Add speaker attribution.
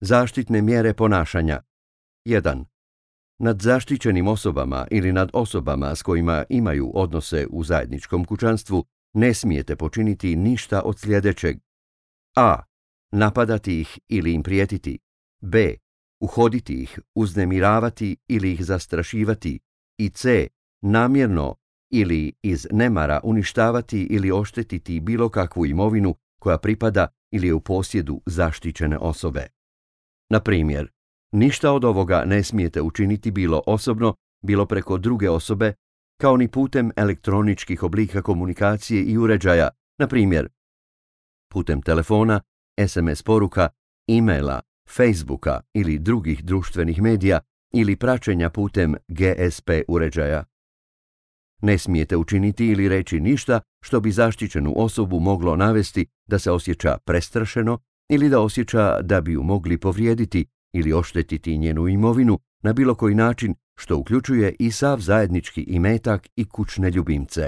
Speaker 1: Zaštitne mjere ponašanja. 1. Nad zaštićenim osobama ili nad osobama s kojima imaju odnose u zajedničkom kućanstvu ne smijete počiniti ništa od sljedećeg. A. Napadati ih ili im prijetiti. B. Uhoditi ih, uznemiravati ili ih zastrašivati. I C. Namjerno ili iz nemara uništavati ili oštetiti bilo kakvu imovinu koja pripada ili je u posjedu zaštićene osobe. Na primjer, ništa od ovoga ne smijete učiniti bilo osobno, bilo preko druge osobe, kao ni putem elektroničkih oblika komunikacije i uređaja, na primjer, putem telefona, SMS poruka, e-maila, Facebooka ili drugih društvenih medija ili praćenja putem GSP uređaja. Ne smijete učiniti ili reći ništa što bi zaštićenu osobu moglo navesti da se osjeća prestrašeno ili da osjeća da bi ju mogli povrijediti ili oštetiti njenu imovinu na bilo koji način, što uključuje i sav zajednički imetak i kućne ljubimce.